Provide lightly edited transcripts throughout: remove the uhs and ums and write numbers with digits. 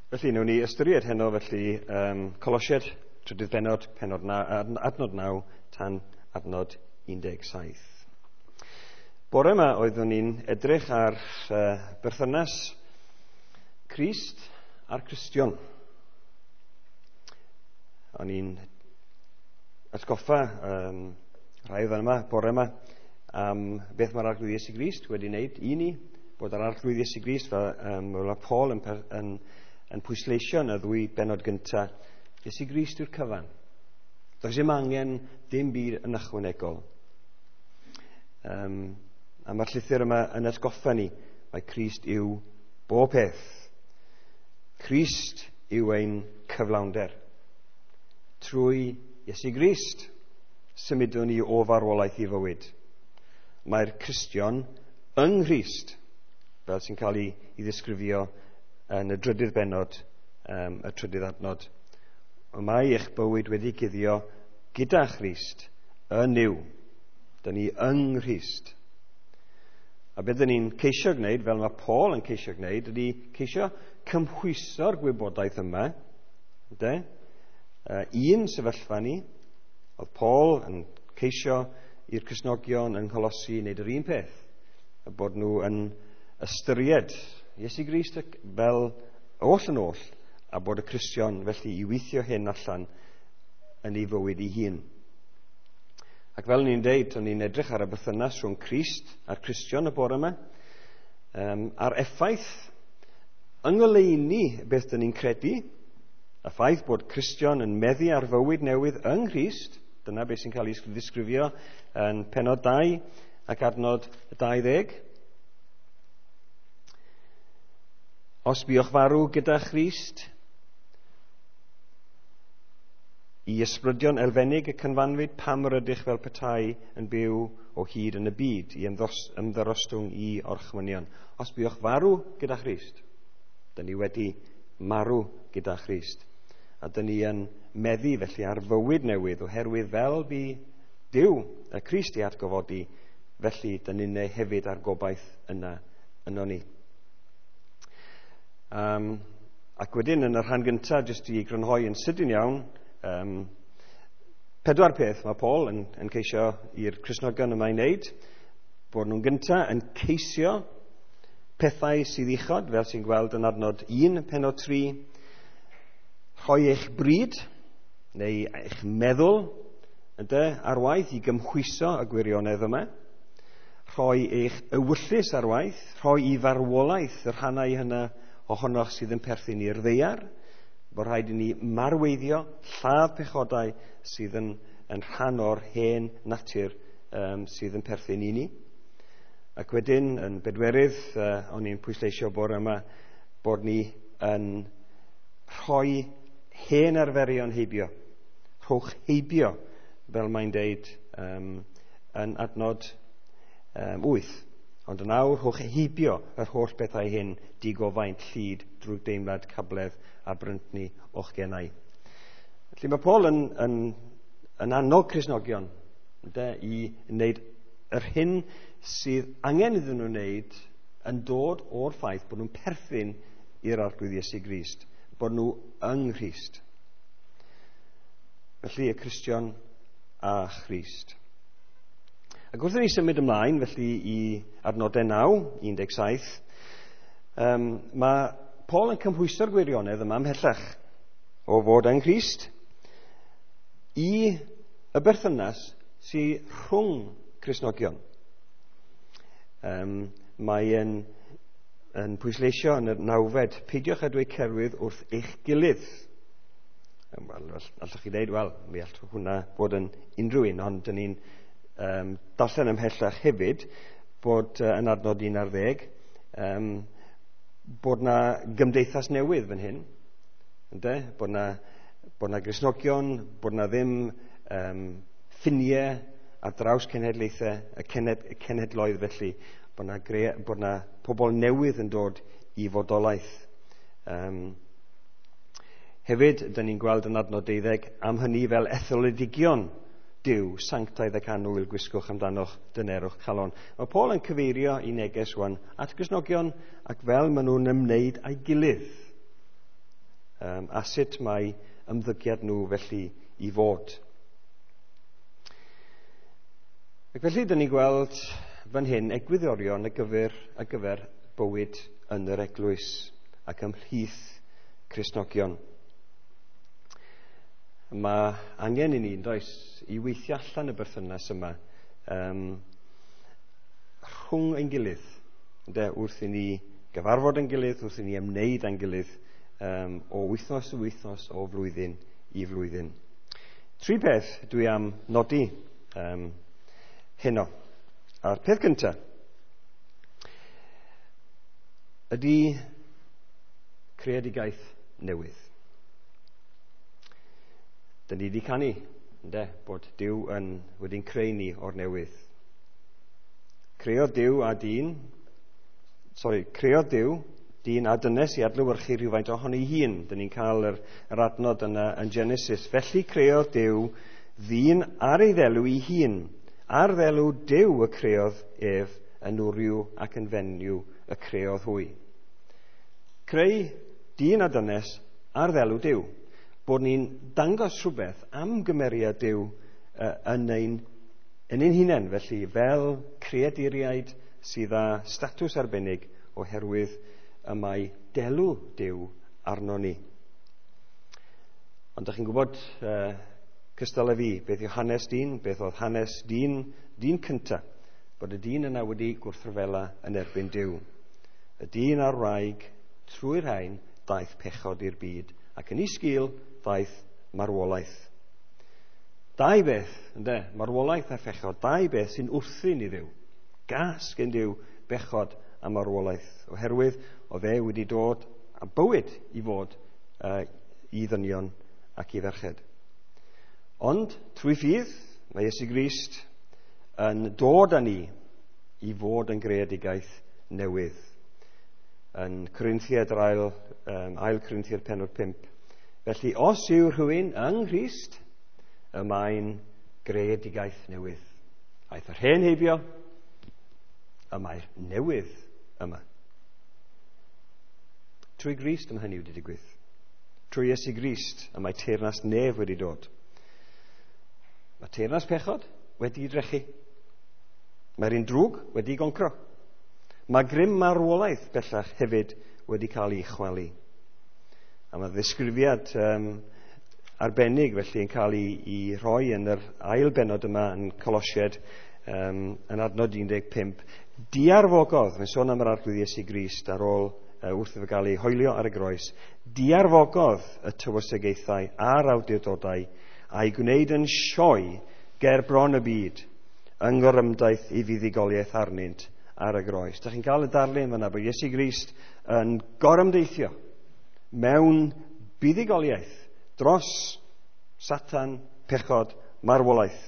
Felly, wnawn ni ystyried heno felly Colosiaid, trydydd bennod, pennod na, adnod 9 tan adnod 17. Bore yma oeddwn ni'n edrych ar berthynas Crist a'r Cristion. O'n i'n atgoffa rhai oedd yma bore yma am beth mae'r Arglwydd Iesu Grist wedi wneud i ni, bod yr Arglwydd Iesu Grist, fel mae Paul yn pwysleisio yn y ddwy bennod gyntaf, Iesu Grist yw'r cyfan. Does dim angen dim byd yn ychwanegol. A mae'r llythyr yma yn atgoffa ni, mae Crist yw bob peth. Crist yw ein cyflawnder. Trwy Iesu Grist symudwn ni o farwolaeth i fywyd. Mae'r Cristion yng Nghrist, fel sy'n cael ei ddisgrifio yn y drydydd bennod, y trydydd adnod. Mae eich bywyd wedi guddio gyda Christ yn Nuw. Dyn ni yng Nghrist. A beth dyn ni'n ceisio gwneud, fel mae Paul yn ceisio gwneud, ydy ceisio cymhwyso'r gwybodaeth yma. Ynde? Un sefyllfa ni, oedd Paul yn ceisio i'r Cristnogion yng Ngholosi wneud yr un peth, y bod nhw yn ystyried Iesu Grist fel oll yn oll, a bod y Cristion felly i weithio hyn allan yn ei fywyd ei hun. Ac fel ni'n deud, o'n ni'n edrych ar y berthynas rhwng Crist a'r Cristion y bore yma, a'r effaith yng ngoleuni beth dyn ni'n credu, y ffaith bod Cristion yn meddu ar fywyd newydd yng Nghrist, dyna beth sy'n cael ei ddisgrifio yn pennod 2 ac adnod 20. Os buoch farw gyda Christ, i ysbrydion elfennig y cynfanfyd, pam yr ydych fel petai yn byw o hyd yn y byd, i ymddyrostwng i orchmynion. Os buoch farw gyda Christ, dyn ni wedi marw gyda Christ. A dyn ni yn meddu felly ar fywyd newydd, oherwydd fel bu Duw y Crist i atgyfodi, felly dyn ni'n hefyd ar gobaith yna yno ni. Ac wedyn yn y rhan gyntaf, jyst i grynhoi yn sydyn iawn, pedwar peth mae Paul yn ceisio i'r Cristnogion yma i wneud, bod nhw'n gyntaf yn ceisio pethau sydd uchod, fel sy'n gweld yn adnod 1, pennod 3, rhoi eich bryd neu eich meddwl ynde, ar waith i gymhwyso y gwirionedd yma, rhoi eich ewyllys ar waith, rhoi i farwolaeth y rhannau hynna ohonoch sydd yn perthyn i'r ddaear, bod rhaid i ni marweiddio, lladd pechodau sydd yn rhan o'r hen natur sydd yn perthyn i ni. Ac wedyn, yn bedwerydd, o'n i'n pwysleisio bore yma, bod ni yn rhoi hen arferion heibio. Rhowch heibio, fel mae'n deud yn adnod 8. Ond yn awr, rhowch heibio yr holl bethau hyn, digofaint, llid, drwgdeimlad, cabledd a bryntni o'ch genau. Felly mae Paul yn annog Cristnogion ynde, i wneud yr hyn sydd angen iddyn nhw wneud yn dod o'r ffaith bod nhw'n perthyn i'r Arglwydd Iesu Grist, bod nhw yng Nghrist. Felly y Cristion a Christ. Ac wrth i ni symud ymlaen, felly i adnodau 9, 17, mae Paul yn cymhwyso'r gwirionedd yma ymhellach o fod yng Nghrist i y berthynas sydd rhwng Cristnogion. Mae yn pwysleisio yn y nawfed, peidiwch â dweud celwydd wrth eich gilydd. Wel, allwch chi dweud, wel, mi all hwnna fod yn unrhyw un, ond dyn ni'n darllen ymhellach hefyd bod yn adnod 11, bod na gymdeithas newydd fan hyn, ynde? Bod na Gristnogion, bod na ddim ffiniau ar draws cenhedlaethau, y cenhedloedd felly, bod na pobl newydd yn dod i fodolaeth. Hefyd, dyn ni'n gweld yn adnod 12 am hynny fel etholedigion Duw, sanctaidd ac annwyl, gwisgwch amdanoch dynerwch calon. Mae Paul yn cyfeirio i neges rwan at Gristnogion ac fel maen nhw'n ymwneud â'i gilydd. A sut mae ymddygiad nhw felly i fod. Ac felly, dyn ni'n gweld fan hyn egwyddorion ar gyfer bywyd yn yr eglwys ac ymhlith Cristnogion. Mae angen i ni, does, i weithio allan y berthynas yma rhwng ein gilydd, ynde, wrth i ni gyfarfod ein gilydd, wrth i ni ymwneud â'n gilydd o wythnos i wythnos, o flwyddyn i flwyddyn. Tri peth dwi am nodi heno. A'r peth cyntaf ydy creadigaeth newydd. Dyn ni wedi canu, ynde, bod Duw wedi'n creu ni o'r newydd. Creodd Duw a dyn, sorry, creodd Duw dyn a dynes i adlewyrchu rhywfaint ohoni hun. Dyn ni'n cael yr adnod yna yn Genesis. "Felly creodd Duw ddyn ar ei ddelw ei hun. Ar ddelw Duw y creodd ef, yn wryw ac yn fenyw y creodd hwy." Creu dyn a dynes ar ddelw Duw. Bod ni'n dangos rhywbeth am gymeriad Duw yn ein hunain, felly, fel creaduriaid sydd â statws arbennig oherwydd y mae delw Duw arno ni. Ond ydych chi'n gwybod, cystal â fi, beth yw hanes dyn, beth oedd hanes dyn, dyn cyntaf, bod y dyn yna wedi gwrthryfela yn erbyn Duw. Y dyn a'r wraig, trwy'r rhain, daeth pechod i'r byd, ac yn ei sgil daeth marwolaeth. Dau beth, ynde, marwolaeth a phechod, dau beth sy'n wrthun i Dduw. Gas gen Duw bechod a marwolaeth, oherwydd oedd e wedi dod a bywyd i fod i ddynion ac i ferched. Ond, trwy ffydd, mae Iesu Grist yn dod â ni i fod yn greadigaeth newydd. Yn Corinthiaid yr ail Corinthiaid penod 5. "Felly, os yw rhywun yng Nghrist, y mae'n greadigaeth newydd. Aeth yr hen heibio, y mae'r newydd yma." Trwy Grist mae hynny wedi digwydd. Trwy Iesu Grist y mae teyrnas nef wedi dod. Mae teyrnas pechod wedi drechu. Mae'r un drwg wedi goncro. Mae grym marwolaeth bellach hefyd wedi cael ei chwalu. A mae ddisgrifiad arbennig felly yn cael ei rhoi yn yr ail benod yma yn Colosiaid yn adnod 15. Diarfogodd, mae'n sôn am yr Arglwydd Iesu Grist ar ôl wrth iddo gael ei hoelio ar y groes, "diarfogodd y tywysogaethau a'r awdurdodau a'i gwneud yn sioe ger bron y byd yng ngorymdaith ei fuddugoliaeth arnynt ar y groes." Da chi'n cael y darlun fyna bod Iesu Grist yn gorymdeithio mewn buddugoliaeth dros Satan, pechod, marwolaeth.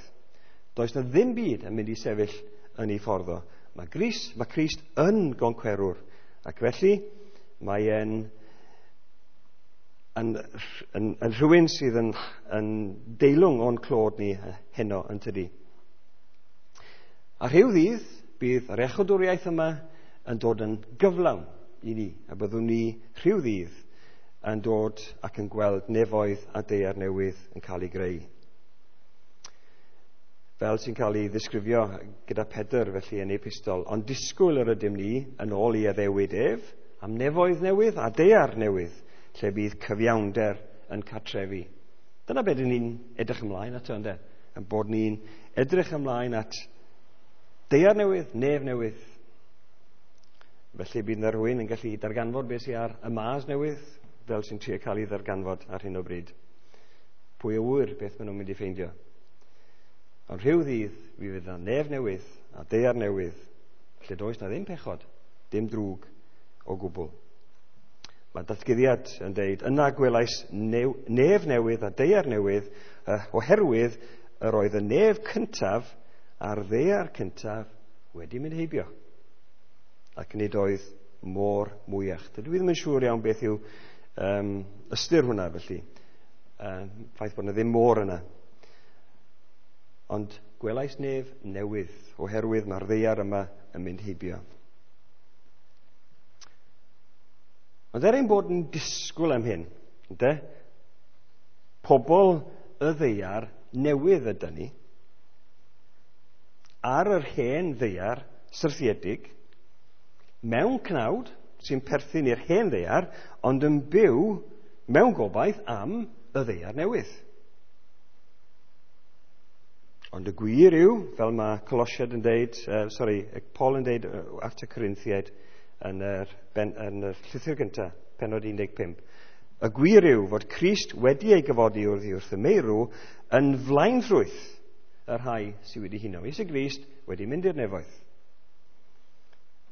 Does na ddim byd yn mynd i sefyll yn ei ffordd o. Mae Crist yn goncwerwr. Ac felly mae e'n yn rhywun sydd yn deilwng o'n clod ni heno, yn tydi. A rhyw ddydd bydd yr iachawdwriaeth yma yn dod yn gyflawn i ni, a byddwn ni rhyw ddydd yn dod ac yn gweld nefoedd a daear newydd yn cael ei greu. Fel sy'n cael ei ddisgrifio gyda Pedr felly yn ei epistol, "ond disgwyl yr ydym ni yn ôl ei addewid ef am nefoedd newydd a daear newydd, lle bydd cyfiawnder yn cartrefu." Dyna beth ni'n edrych ymlaen ato, ynddo? Yn bod ni'n edrych ymlaen at daear newydd, nef newydd. Felly bydd yna rhywun yn gallu darganfod beth sydd ar y Mars newydd, fel sy'n trio cael ei ddarganfod ar hyn o bryd. Pwy a ŵyr beth maen nhw'n mynd i ffeindio. Ond rhyw ddydd, fi fydd yna nef newydd a daear newydd, lle does na ddim pechod, dim drwg o gwbl. Mae Datguddiad yn deud, "Yna gwelais nef newydd a daear newydd, oherwydd yr oedd y nef cyntaf a'r ddaear cyntaf wedi mynd heibio. Ac nid oedd môr mwyach." Dydw i ddim yn siŵr iawn beth yw ystyr hwnna felly. Ffaith bod yna ddim môr yna. Ond gwelais nef newydd oherwydd mae'r ddaear yma yn mynd heibio. Ond er ein bod yn disgwyl am hyn, Ynde? Pobl y ddaear newydd ydy ni. Ar yr hen ddaear syrthiedig, mewn cnawd sy'n perthyn i'r hen ddaear, ond yn byw mewn gobaith am y ddaear newydd. Ond y gwir yw, fel mae Colosiaid yn deud, Paul yn deud at y Corinthiaid yn yr llythyr gyntaf, pennod 15, y gwir yw fod Crist wedi ei gyfodi wrth y meirw yn flaenffrwyth y rhai sydd wedi huno. Iesu Grist wedi mynd i'r nefoedd.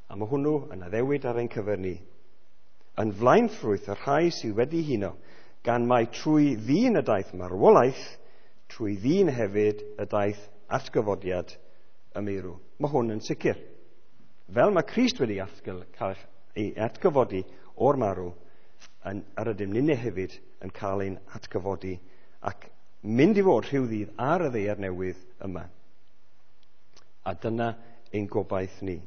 A mae hwnnw yn addewid ar ein cyfer ni. Yn flaenffrwyth y rhai sydd wedi huno, gan mai trwy ddyn y daeth marwolaeth, trwy ddyn hefyd y daeth atgyfodiad y meirw. Mae hwn yn sicr. Fel mae Crist wedi cael ei atgyfodi o'r marw, yr ydym ninne hefyd yn cael ein atgyfodi ac mynd i fod rhyw ddydd ar y ddaear newydd yma. A dyna ein gobaith ni.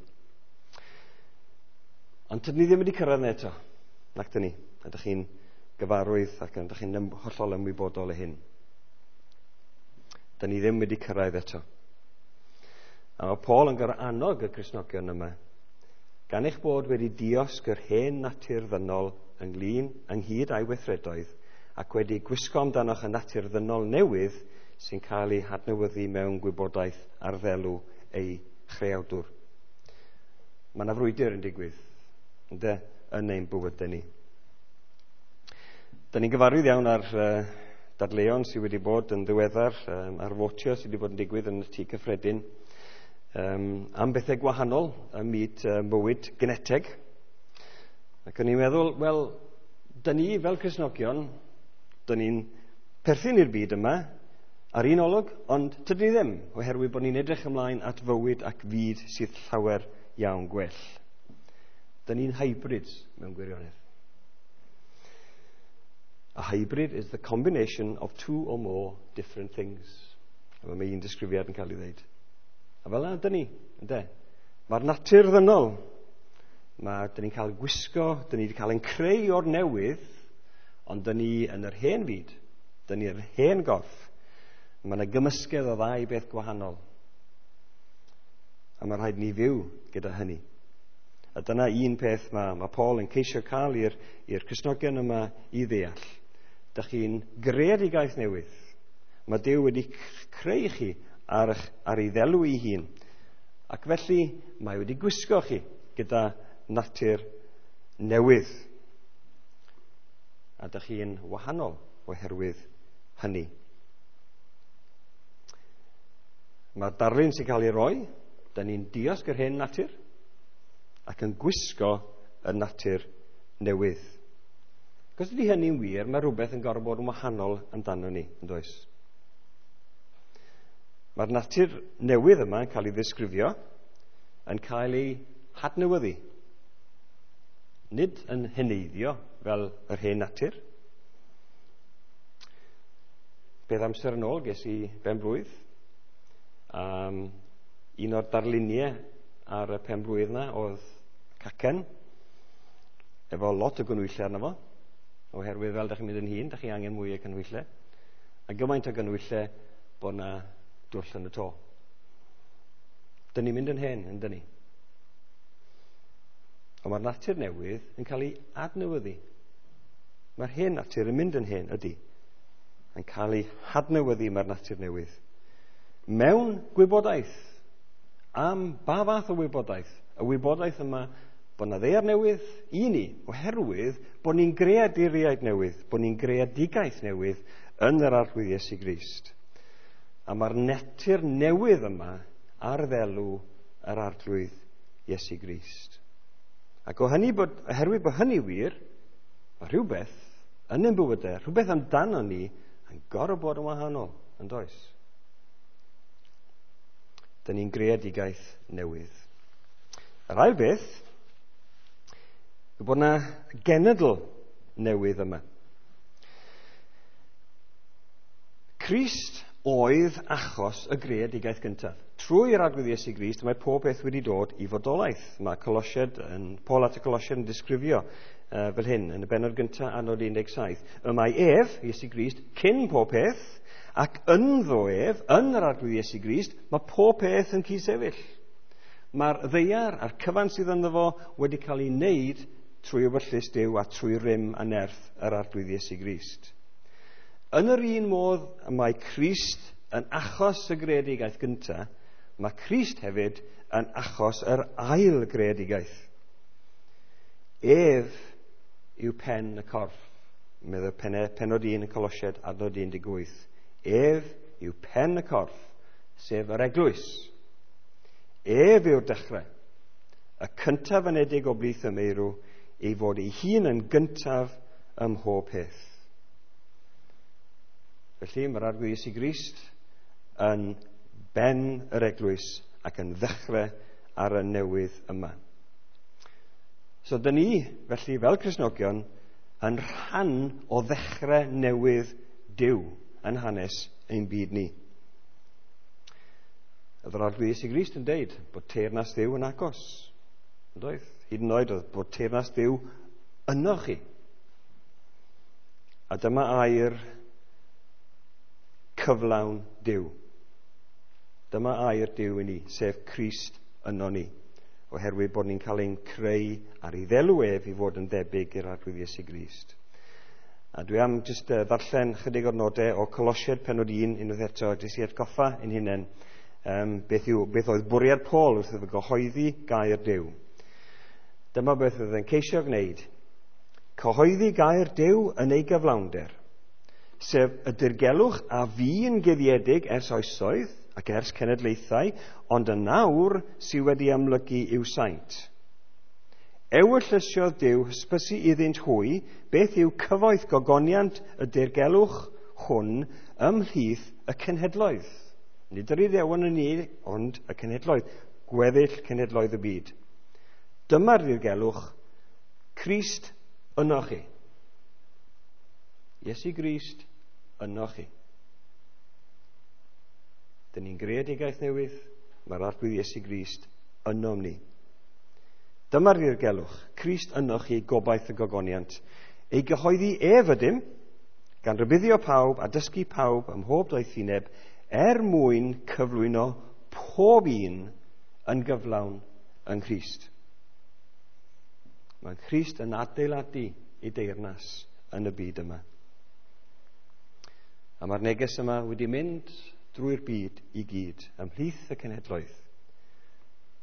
Ond tydyn ni ddim wedi cyrraedd yna eto, nac dyn ni. Ydych chi'n gyfarwydd ac ydych chi'n hollol ymwybodol o hyn. Dyn ni ddim wedi cyrraedd eto. A mae Paul yn gorfod annog y Cristnogion yma, gan eich bod wedi diosg yr hen natur ddynol ynghyd â'i weithredoedd ac wedi gwisgo amdanoch y natur ddynol newydd sy'n cael ei hadnewyddu mewn gwybodaeth ar ddelw ei chreawdwr. Mae yna frwydr yn digwydd, ynde, yn ein bywydau ni. Dyn ni'n gyfarwydd iawn ar dadleuon sydd wedi bod yn ddiweddar, ar fotio sydd wedi bod yn digwydd yn y tŷ cyffredin, am bethau gwahanol ym myd bywyd geneteg. Ac o'n i'n meddwl, wel, dyn ni fel Cristnogion, dyn ni'n perthyn i'r byd yma ar un olwg, ond tydyn ni ddim, oherwydd bod ni'n edrych ymlaen at fywyd ac fyd sydd llawer iawn gwell. Dyn ni'n hybrids mewn gwirionedd. A hybrid is the combination of two or more different things. A mae un disgrifiad yn cael ei ddeud. A fel yna, dyn ni, ynde? Mae'r natur ddynol. Dyn ni'n cael gwisgo, dyn ni wedi cael ein creu o'r newydd, ond dyn ni yn yr hen fyd, dyn ni yr hen gorff. Mae yna gymysgedd o ddau beth gwahanol. A mae rhaid ni fyw gyda hynny. A dyna un peth mae Paul yn ceisio cael i'r Cristnogion yma i ddeall. Dych chi'n greadigaeth newydd. Mae Duw wedi creu chi ar ei ddelw ei hun. Ac felly mae wedi gwisgo chi gyda natur newydd. A dych chi'n wahanol oherwydd hynny. Mae'r darlun sy'n cael ei roi, dyn ni'n diosg yr hen natur ac yn gwisgo y natur newydd. Cos ydy hynny'n wir, mae rhywbeth yn gorfod bod yn wahanol amdano ni, yn does? Mae'r natur newydd yma yn cael ei ddisgrifio, yn cael ei hadnewyddu. Nid yn heneiddio fel yr hen natur. Beth amser yn ôl ges i ben-blwydd. Un o'r darluniau ar y pen-blwydd yna oedd cacen, efo lot o gynhwyllau arno fo, oherwydd fel dach chi'n mynd yn hŷn, dach chi angen mwy o gynhwyllau, a gymaint o gynhwyllau bod na dwll yn y to. Dyn ni'n mynd yn hen, yn dyn ni. Ond mae'r natur newydd yn cael ei adnewyddu. Mae'r hen natur yn mynd yn hen, ydy. Yn cael ei hadnewyddu mae'r natur newydd. Mewn gwybodaeth. Am ba fath o wybodaeth? Y wybodaeth yma bod na ddaear newydd i ni, oherwydd bod ni'n greaduriaid newydd, bod ni'n greadigaeth newydd yn yr Arglwydd Iesu Grist. A mae'r natur newydd yma ar ddelw yr Arglwydd Iesu Grist. Ac oherwydd bod hynny wir, mae rhywbeth yn ein bywydau, rhywbeth amdano ni yn gorfod bod yn wahanol, yn does? Dyn ni'n greadigaeth newydd. Yr ail beth yw bod yna genedl newydd yma. Crist oedd achos y greadigaeth gyntaf. Trwy'r Arglwydd Iesu Grist mae pob peth wedi dod i fodolaeth. Mae Colosiaid yn, Paul at y Colosiaid yn disgrifio fel hyn yn y bennod gyntaf adnod 17. Y mae ef, Iesu Grist, cyn pob peth, ac ynddo ef, yn yr Arglwydd Iesu Grist, mae pob peth yn cydsefyll. Mae'r ddaear a'r cyfan sydd ynddo fo wedi cael ei wneud trwy ewyllys Duw a trwy rym a nerth yr Arglwydd Iesu Grist. Yn yr un modd mae Crist yn achos y greadigaeth gyntaf, mae Crist hefyd yn achos yr ail greadigaeth. Ef yw pen y corff, meddai pennod 1 y Colosiaid adnod 18. Ef yw pen y corff, sef yr eglwys. Ef yw'r dechrau, y cyntaf anedig o blith y meirw, ei fod ei hun yn gyntaf ym mhob peth. Felly mae'r Arglwydd Iesu Grist yn ben yr eglwys ac yn ddechrau ar y newydd yma. So dyn ni, felly, fel Cristnogion, yn rhan o ddechrau newydd Duw yn hanes ein byd ni. Oedd yr Arglwydd Iesu Grist yn deud bod teyrnas Dduw yn agos. Yn doedd? Hyd yn oed oedd bod teyrnas Dduw yno chi. A dyma air cyflawn Duw. Dyma air Duw i ni, sef Crist yno ni, oherwydd bod ni'n cael ein creu ar ei ddelw ef i fod yn debyg i'r Arglwydd Iesu Grist. A dwi am jyst ddarllen chydig o'r nodau o Colosiaid pennod 1 unwaith eto, jyst i atgoffa ein hunain beth oedd bwriad Paul wrth iddo gyhoeddi gair Duw. Dyma beth oedd yn ceisio gwneud. Cyhoeddi gair Duw yn ei gyflawnder, sef y dirgelwch a fu'n guddiedig ers oesoedd ac ers cenedlaethau, ond yn nawr sydd wedi amlygu i'w saint. Ewyllysiodd Duw hysbysu iddynt hwy beth yw cyfoeth gogoniant y dirgelwch hwn ymhlith y cenhedloedd. Nid yr Iddewon yn unig, ond y cenhedloedd, gweddill cenhedloedd y byd. Dyma'r dirgelwch, Crist yno chi. Iesu Grist yno chi. Dyn ni'n greadigaeth newydd, mae'r Arglwydd Iesu Grist ynom ni. Dyma'r dirgelwch, Crist yno chi, gobaith y gogoniant. Ei gyhoeddi ef ydym, gan rybuddio pawb a dysgu pawb ym mhob doethineb, er mwyn cyflwyno pob un yn gyflawn yng Nghrist. Mae Crist yn adeiladu ei deyrnas yn y byd yma. A mae'r neges yma wedi mynd drwy'r byd i gyd, ymhlith y cenhedloedd.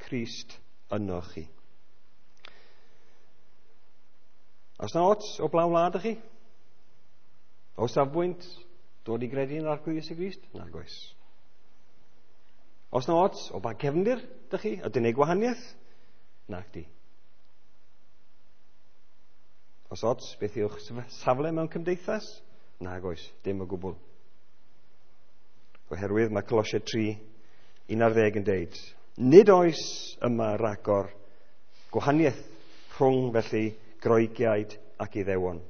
Crist yno chi. Oes na ots o blaen wlad ych chi? O safbwynt dod i gredu yn yr Arglwydd Iesu Grist? Nag oes. Oes na ots o ba gefndir ydych chi? Ydy'n ei gwahaniaeth? Nag di. Oes ots beth yw'ch safle mewn cymdeithas? Nag oes, dim o gwbl. Oherwydd mae Colosiaid 3:11 yn deud, nid oes yma ragor gwahaniaeth rhwng felly Groegiaid ac Iddewon,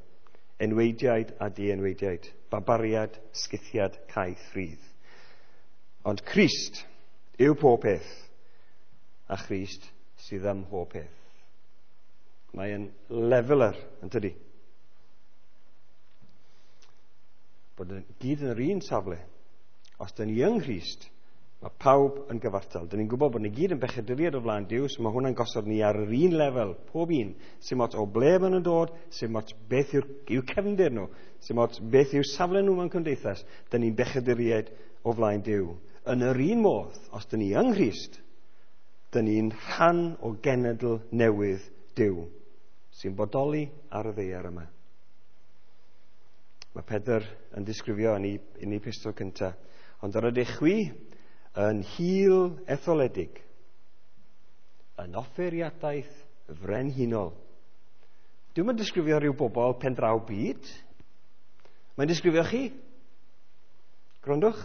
enweidiaid a dienweidiaid, barbariad, sgythiad, caeth rhydd. Ond Crist yw pob peth, a Christ sydd ym mhob peth. Mae'n leveler, yn tydi? Bod yn gyd yn yr un safle. Os dyn ni yng Nghrist, mae pawb yn gyfartal. Dyn ni'n gwybod bod ni gyd yn bechaduriaid o flaen Duw, so mae hwnna'n gosod ni ar yr un lefel, pob un. Sim ots o ble maen nhw'n dod, sim ots beth yw'r cefndir nhw, sim ots beth yw safle nhw mewn cymdeithas. Dyn ni'n bechaduriaid o flaen Duw. Yn yr un modd, os dyn ni yng Nghrist, dyn ni'n rhan o genedl newydd Duw, sy'n bodoli ar y ddaear yma. Mae Pedr yn disgrifio yn ei epistol cyntaf, ond yr ydych chwi yn hil etholedig, yn offeiriadaeth frenhinol. Dwi'm yn disgrifio rhyw bobl pendraw byd. Mae'n disgrifio chi. Gwrandwch.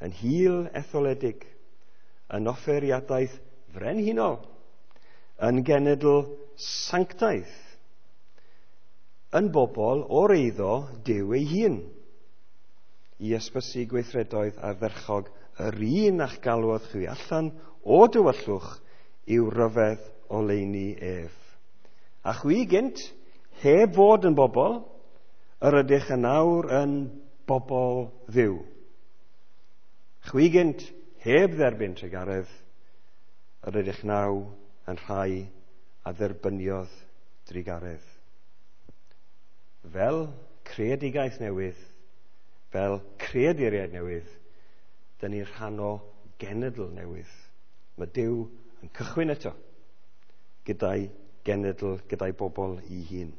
Yn hil etholedig, yn offeiriadaeth frenhinol, yn genedl sanctaidd, yn bobl o'r eiddo Duw ei hun, i ysbysu gweithredoedd ardderchog Yr un a'ch galwodd chwi allan o dywyllwch i'w ryfedd oleuni ef. A chwi gynt, heb fod yn bobl, yr ydych yn awr yn bobl Dduw. Chwi gynt, heb dderbyn trugaredd, yr ydych naw yn rhai a dderbyniodd drugaredd. Fel creadigaeth newydd, fel creaduriaid newydd, dyn ni'n rhan o genedl newydd. Mae Duw yn cychwyn eto gyda'i genedl, gyda'i bobl ei hun.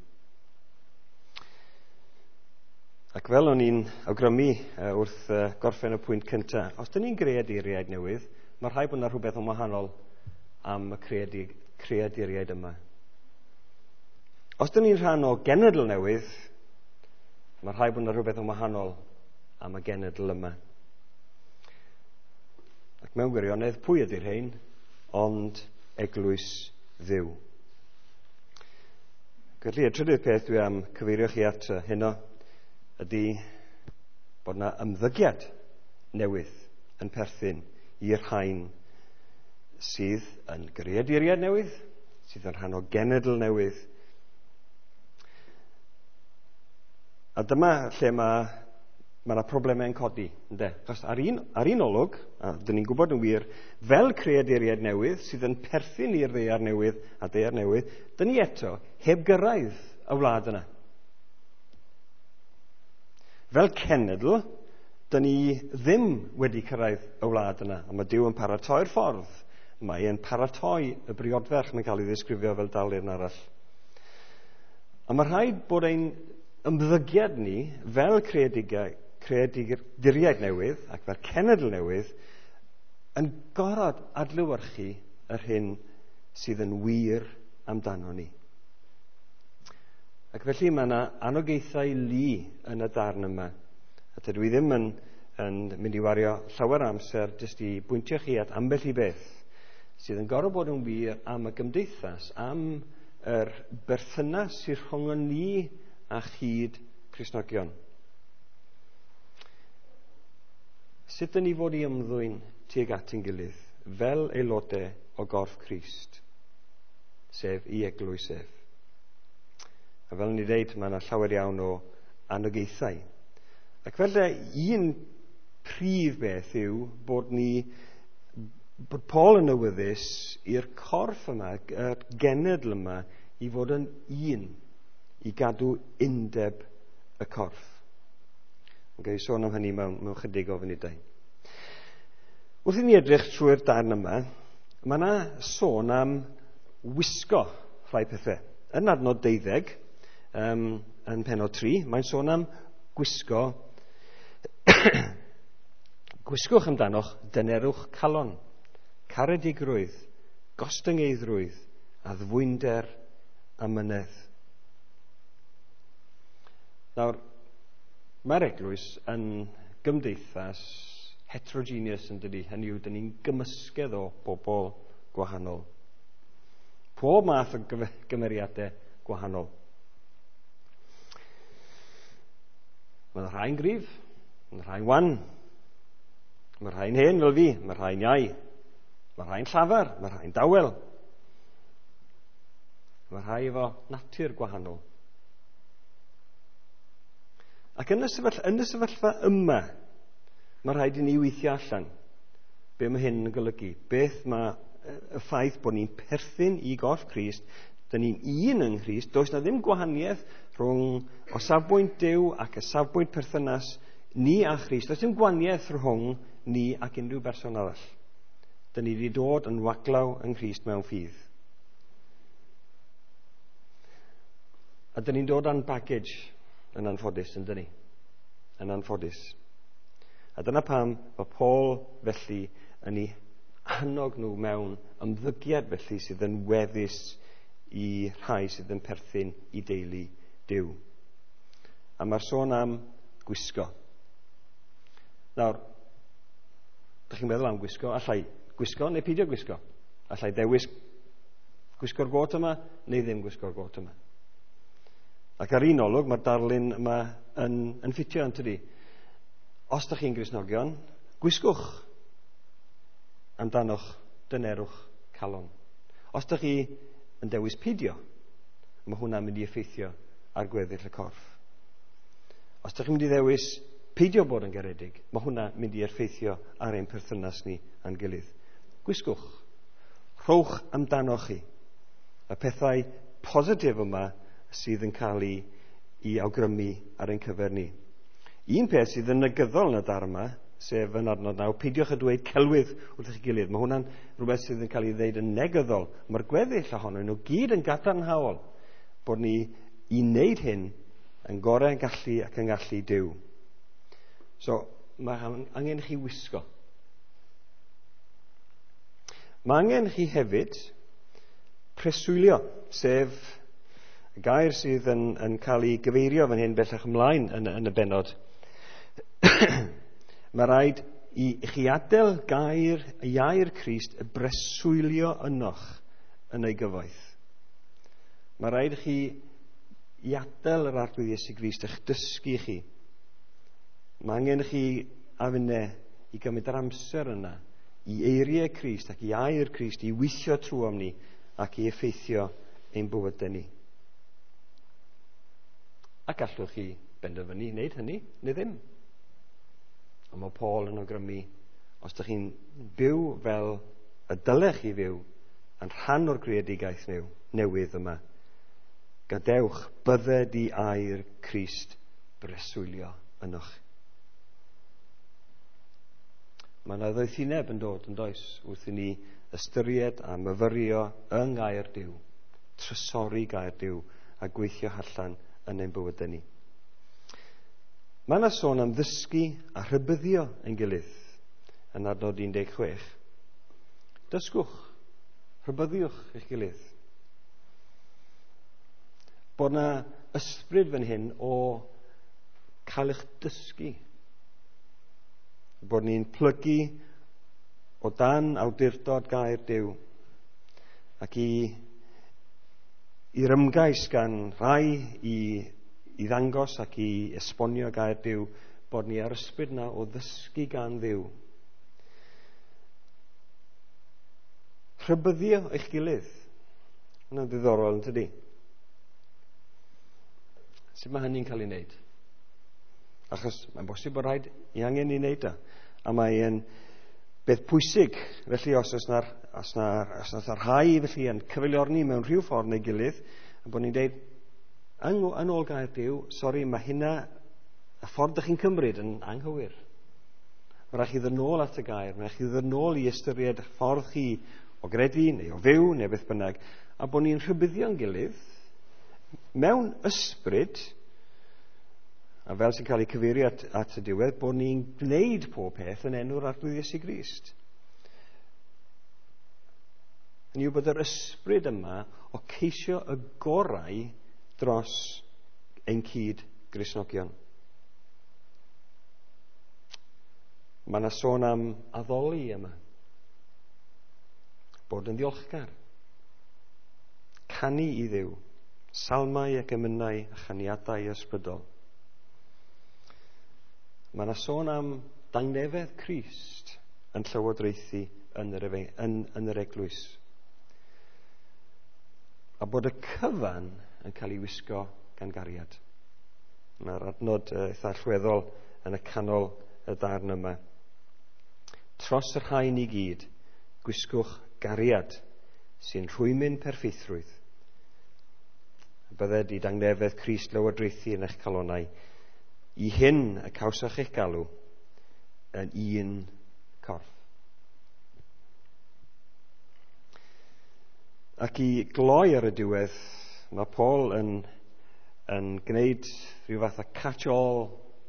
Ac fel o'n i'n awgrymu wrth gorffen y pwynt cyntaf, os dyn ni'n greaduriaid newydd, mae rhaid bod yna rhywbeth yn wahanol am y creaduriaid yma. Os dyn ni'n rhan o genedl newydd, mae rhaid bod yna rhywbeth yn wahanol am y genedl yma. Ac mewn gwirionedd, pwy ydy'r rhain? Ond eglwys Dduw. Felly, y trydydd peth dwi am cyfeirio chi at heno ydy bod yna ymddygiad newydd yn perthyn i'r rhain sydd yn greaduriaid newydd, sydd yn rhan o genedl newydd. A dyma lle mae yna problemau yn codi, ynde? Achos ar un olwg, a dyn ni'n gwybod yn wir, fel creaduriaid newydd sydd yn perthyn i'r ddaear newydd a daear newydd, dyn ni eto heb gyrraedd y wlad yna. Fel cenedl, dyn ni ddim wedi cyrraedd y wlad yna, a mae Duw yn paratoi'r ffordd. Mae e'n paratoi y briodferch, mae'n cael ei ddisgrifio fel darlun arall. A mae rhaid bod ein ymddygiad ni fel creaduriaid newydd ac fel cenedl newydd yn gorfod adlewyrchu yr hyn sydd yn wir amdano ni. Ac felly mae yna anogaethau lu yn y darn yma. A dydw i ddim yn mynd i wario llawer o amser jyst i bwyntio chi at ambell i beth sydd yn gorfod bod yn wir am y gymdeithas, am yr berthynas sydd rhwng ni a chyd Cristnogion. Sut dyn ni fod i ymddwyn tuag at ein gilydd fel aelodau o gorff Crist, sef i eglwys ef. A fel ni ddeud, mae yna llawer iawn o anogaethau. Ac felly un prif beth yw bod Paul yn awyddus i'r corff yma, y genedl yma, i fod yn un, i gadw undeb y corff. Yn gael ei sôn am hynny mewn chydig o funudau. Wrth i ni edrych trwy'r darn yma, mae yna sôn am wisgo rhai pethau. Yn adnod 12, yn pennod 3, mae'n sôn am gwisgo. Gwisgwch amdanoch dynerwch calon, caredigrwydd, gostyngeiddrwydd, addfwynder a mynedd. Nawr, mae'r eglwys yn gymdeithas heterogeneous yn dydi, hynny yw, dyn ni'n gymysgedd o bobl gwahanol. Pob math o gymeriadau gwahanol. Mae rhai'n gryf, mae rhai'n wan, mae rhai'n hen fel fi, mae rhai'n iau, mae rhai'n llafar, mae rhai'n dawel. Mae rhai efo natur gwahanol. Ac yn y sefyllfa yma, mae rhaid i ni weithio allan be mae hyn yn golygu. Beth mae y ffaith bod ni'n perthyn i gorff Crist, dyn ni'n un yng Nghrist, does na ddim gwahaniaeth rhwng o safbwynt Duw ac y safbwynt perthynas ni a Christ. Does dim gwahaniaeth rhwng ni ac unrhyw berson arall. Dyn ni wedi dod yn waglaw yng Nghrist mewn ffydd. A dyn ni'n dod â'n baggage yn anffodus, yn dyn ni? Yn anffodus. A dyna pam mae Paul felly yn ei annog nhw mewn ymddygiad felly sydd yn weddus i rhai sydd yn perthyn i deulu Duw. A mae'r sôn am gwisgo. Nawr, dych chi'n meddwl am gwisgo? Allai gwisgo neu peidio gwisgo? Allai ddewis gwisgo'r got yma neu ddim gwisgo'r got yma? Ac ar un olwg, mae'r darlun yma yn ffitio, yn tydi? Os ydych chi'n Gristnogion, gwisgwch amdanoch dynerwch calon. Os ydych chi yn dewis peidio, mae hwnna'n mynd i effeithio ar gweddill y corff. Os ydych chi'n mynd i ddewis peidio bod yn garedig, mae hwnna'n mynd i effeithio ar ein perthynas ni a'n gilydd. Gwisgwch. Rhowch amdanoch chi y pethau positif yma sydd yn cael ei awgrymu ar ein cyfer ni. Un peth sydd yn negyddol yn y darn yma, sef yn adnod 9, peidiwch â dweud celwydd wrth eich gilydd. Mae hwnna'n rhywbeth sydd yn cael ei ddeud yn negyddol. Mae'r gweddill ohonyn nhw gyd yn gadarnhaol bod ni i wneud hyn yn gorau yn gallu ac yn gallu Duw. So, mae angen chi wisgo. Mae angen chi hefyd preswylio, sef y gair sydd yn cael ei gyfeirio fan hyn bellach ymlaen yn y bennod. Mae rhaid i chi adael gair Crist y breswylio ynoch yn ei gyfoeth. Mae rhaid i chi i adael yr Arglwydd Iesu Grist eich dysgu chi. Mae angen i chi a finne i gymryd yr amser yna i eiriau Crist ac i air Crist i weithio trwom ni ac i effeithio ein bywydau ni. Ac allwch chi benderfynu wneud hynny neu ddim. Ond mae Paul yn awgrymu, os ydych chi'n byw fel y dylech chi fyw yn rhan o'r greadigaeth newydd yma, gadewch bydded i air Crist breswylio ynoch. Mae yna ddoethineb yn dod yn does wrth i ni ystyried a myfyrio yng ngair Duw, trysori gair Duw a gweithio allan yn ein bywydau ni. Mae yna sôn am ddysgu a rhybuddio ein gilydd yn adnod 16. Dysgwch, rhybuddiwch eich gilydd. Bod yna ysbryd fan hyn o cael eich dysgu. Bod ni'n plygu o dan awdurdod gair Duw ac i'r ymgais gan rai i ddangos ac i esbonio gair Duw bod ni ar ysbryd yna o ddysgu gan Dduw. Rhybuddio eich gilydd. Hwnna'n ddiddorol, yn tydi? Sut mae hynny'n cael ei wneud? Achos mae'n bosib bod rhaid i angen i wneud o. A mae'n beth pwysig, felly os oes na rhai felly yn cyfeiliorni mewn rhyw ffordd neu gilydd, a bod ni'n deud, yn ôl gair Duw, sori, mae hynna, y ffordd ydych chi'n cymryd yn anghywir. Mae rhaid chi ddod nôl at y gair, mae rhaid chi ddod nôl i ystyried y ffordd chi o gredu neu o fyw neu beth bynnag, a bod ni'n rhybuddio'n gilydd mewn ysbryd, a fel sy'n cael ei cyfeirio at y diwedd, bod ni'n gwneud pob peth yn enw'r Arglwydd Iesu Grist. Hynny yw bod yr ysbryd yma o ceisio y gorau dros ein cyd Gristnogion. Mae yna sôn am addoli yma. Bod yn ddiolchgar. Canu i Dduw. Salmau ac emynau a chaniadau ysbrydol. Mae yna sôn am dangnefedd Crist yn llywodraethu yn yr eglwys. A bod y cyfan yn cael ei wisgo gan gariad. Mae'r adnod eitha allweddol yn y canol y darn yma. Tros y rhain i gyd, gwisgwch gariad sy'n rhwymyn perffeithrwydd. Bydded i dangnefedd Crist lywodraethu yn eich calonau. I hyn y cawsoch eich galw yn un corff. Ac i gloi ar y diwedd, mae Paul yn gwneud rhyw fath o catch-all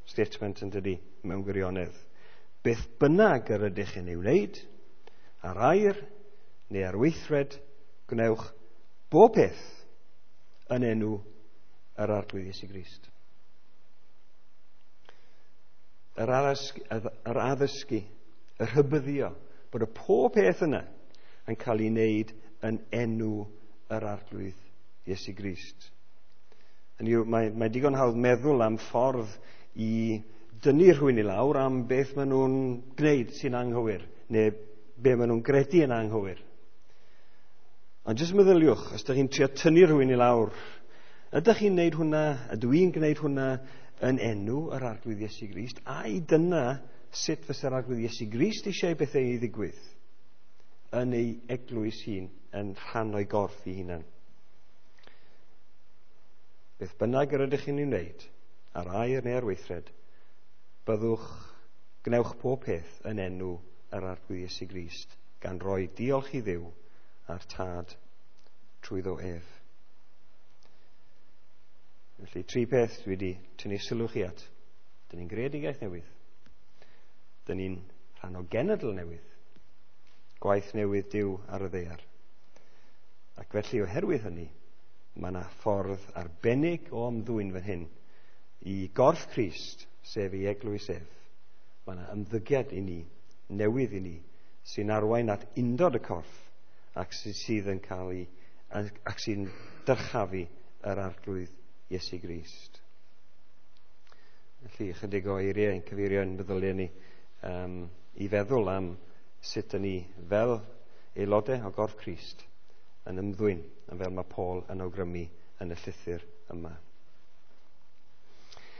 statement yn dydi mewn gwirionedd. Beth bynnag yr ydych yn ei wneud, ar air neu ar weithred, gwnewch bob peth yn enw yr Arglwydd Iesu Grist. Yr addysgu, y rhybuddio, bod y pob peth yna yn cael ei wneud yn enw yr Arglwydd Iesu Grist. Hynny yw, mae digon hawdd meddwl am ffordd i dynnu rhywun i lawr am beth maen nhw'n gwneud sy'n anghywir, neu be maen nhw'n gredu yn anghywir. Ond jyst meddyliwch, os ydych chi'n trio tynnu rhywun i lawr, ydych chi'n gwneud hwnna, ydw i'n gwneud hwnna yn enw yr Arglwydd Iesu Grist, ai dyna sut fysa'r Arglwydd Iesu Grist eisiau bethau i ddigwydd yn ei eglwys hun, yn rhan o'i gorff ei hunan? Beth bynnag yr ydych chi'n ei wneud, ar air neu ar weithred, byddwch, gwnewch pob peth yn enw yr Arglwydd Iesu Grist, gan roi diolch i Dduw a'r Tad trwyddo ef. Felly, tri peth dwi wedi tynnu sylw chi at. Dyn ni'n greadigaeth newydd. Dyn ni'n rhan o genedl newydd. Gwaith newydd Duw ar y ddaear. Ac felly, oherwydd hynny, mae yna ffordd arbennig o ymddwyn fan hyn i gorff Crist, sef ei eglwys ef. Mae yna ymddygiad i ni, newydd i ni, sy'n arwain at undod y corff ac sydd yn cael ei, ac sy'n dyrchafu yr Arglwydd Iesu Grist. Felly, ychydig o eiriau yn cyfeirio yn meddyliau ni i feddwl am sut ydyn ni fel aelodau o gorff Crist yn ymddwyn, yn fel mae Paul yn awgrymu yn y llythyr yma.